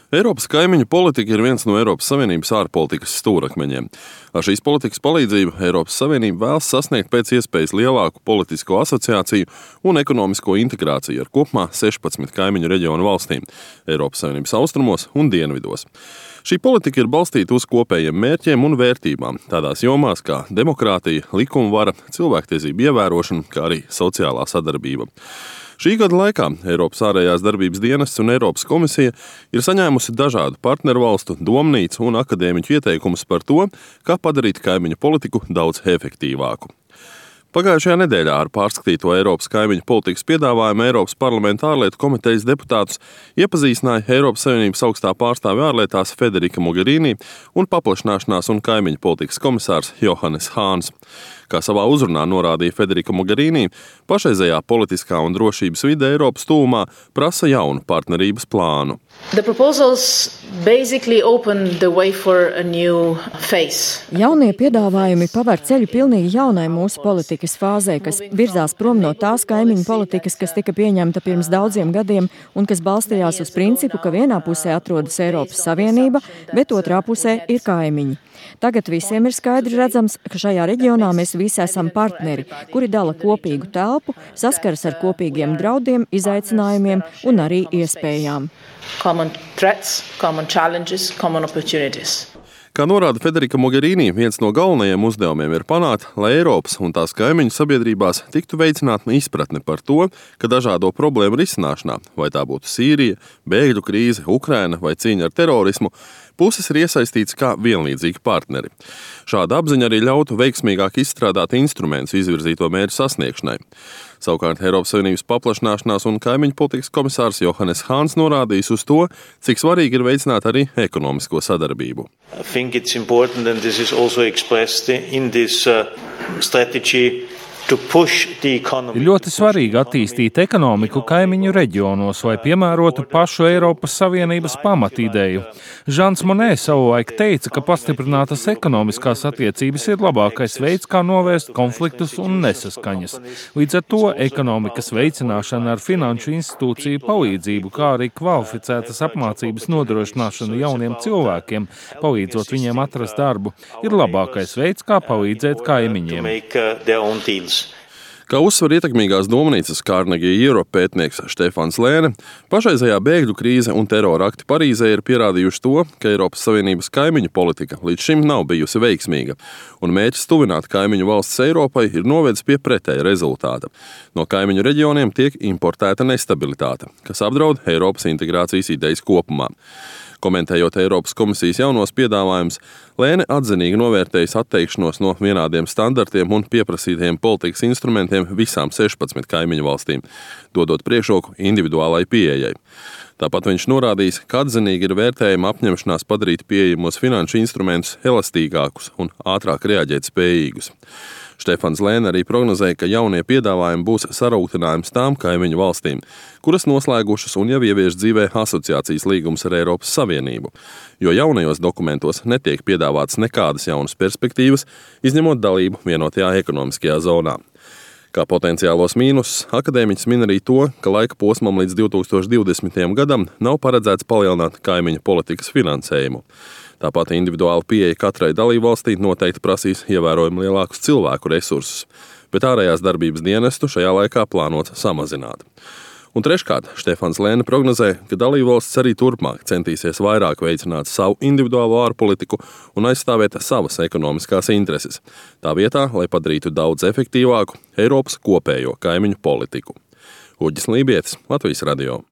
Eiropas kaimiņu politika ir viens no Eiropas Savienības ārpolitikas stūrakmeņiem. Ar šīs politikas palīdzību Eiropas Savienība vēlas sasniegt pēc iespējas lielāku politisko asociāciju un ekonomisko integrāciju ar kopumā 16 kaimiņu reģionu valstīm – Eiropas Savienības austrumos un dienvidos. Šī politika ir balstīta uz kopējiem mērķiem un vērtībām, tādās jomās kā demokrātija, likumvara, cilvēktiesību ievērošana, kā arī sociālā sadarbība. Šī gada laikā Eiropas ārējās darbības dienests un Eiropas komisija ir saņēmusi dažādu partneru valstu, domnīcu un akadēmiķu ieteikumus par to, kā padarīt kaimiņu politiku daudz efektīvāku. Pagājušajā nedēļā ar pārskatīto Eiropas kaimiņu politikas piedāvājumu Eiropas parlamenta ārlietu komitejas deputātus iepazīstināja Eiropas Savienības augstā pārstāve ārlietās Federica Mogherini un paplašināšanās un kaimiņu politikas komisārs Johannes Hāns. Kā savā uzrunā norādīja Federica Mogherini, pašreizējā politiskā un drošības vide Eiropas tuvumā prasa jaunu partnerības plānu. Jaunie piedāvājumi paver ceļu pilnīgi jaunai mūsu politikas fāzē, kas virzās prom no tās kaimiņu politikas, kas tika pieņemta pirms daudziem gadiem un kas balstījās uz principu, ka vienā pusē atrodas Eiropas Savienība, bet otrā pusē ir kaimiņi. Tagad visiem ir skaidri redzams, ka šajā reģionā mēs visi esam partneri, kuri dala kopīgu telpu, saskaras ar kopīgiem draudiem, izaicinājumiem un arī iespējām. Common threats, common challenges, common opportunities. Kā norāda Federica Mogherini, viens no galvenajiem uzdevumiem ir panākt, lai Eiropas un tās kaimiņu sabiedrībās tiktu veicināta izpratne par to, ka dažādo problēmu risināšanā, vai tā būtu Sīrija, bēgļu krīze, Ukraina vai cīņa ar terorismu, puses ir iesaistīts kā vienlīdzīgi partneri. Šāda apziņa arī ļautu veiksmīgāk izstrādāt instrumentus izvirzīto mērķu sasniegšanai. Savukārt Eiropas Savienības paplašināšanās un kaimiņu politikas komisārs Johannes Hāns norādījis uz to, cik svarīgi ir veicināt arī ekonomisko sadarbību. I think it's important, and this is also expressed in this strategy, ir ļoti svarīgi attīstīt ekonomiku kaimiņu reģionos, lai piemērotu pašu Eiropas Savienības pamatīdeju. Žans Monē savulaik teica, ka pastiprinātas ekonomiskās attiecības ir labākais veids, kā novērst konfliktus un nesaskaņas. Līdz ar to ekonomikas veicināšana ar finanšu institūciju palīdzību, kā arī kvalificētas apmācības nodrošināšanu jauniem cilvēkiem, palīdzot viņiem atrast darbu, ir labākais veids, kā palīdzēt kaimiņiem. Kā uzsver ietekmīgās domnīcas Carnegie Europe pētnieks Štefans Lēne, pašreizējā bēgļu krīze un terora akti Parīzē ir pierādījuši to, ka Eiropas Savienības kaimiņu politika līdz šim nav bijusi veiksmīga, un mērķis tuvināt kaimiņu valstis Eiropai ir novedis pie pretēja rezultāta. No kaimiņu reģioniem tiek importēta nestabilitāte, kas apdraud Eiropas integrācijas idejas kopumā. Komentējot Eiropas komisijas jaunos piedāvājumus, Lēne atzinīgi novērtējis atteikšanos no vienādiem standartiem un pieprasītajiem politikas instrumentiem visām 16 kaimiņu valstīm, dodot priekšroku individuālai pieejai. Tāpat viņš norādījis, ka atzinīgi ir vērtējama apņemšanās padarīt pieejamos finanšu instrumentus elastīgākus un ātrāk reaģēt spējīgus. Štefans Lēne arī prognozēja, ka jaunie piedāvājumi būs sarūktinājums tām kaimiņu valstīm, kuras noslēgušas un jau ievieš dzīvē asociācijas līgumus ar Eiropas Savienību, jo jaunajos dokumentos netiek piedāvātas nekādas jaunas perspektīvas, izņemot dalību vienotajā ekonomiskajā zonā. Kā potenciālos mīnusus, akadēmiķis min arī to, ka laika posmam līdz 2020. gadam nav paredzēts palielināt kaimiņu politikas finansējumu. Tāpat individuāla pieeja katrai dalībvalstī noteikti prasīs ievērojami lielākus cilvēku resursus, bet ārējās darbības dienestu šajā laikā plānots samazināt. Un treškārt, Štefans Lēne prognozē, ka dalībvalstis arī turpmāk centīsies vairāk veicināt savu individuālo ārpolitiku un aizstāvēt savas ekonomiskās intereses, tā vietā, lai padarītu daudz efektīvāku Eiropas kopējo kaimiņu politiku. Uģis Lībietis, Latvijas radio.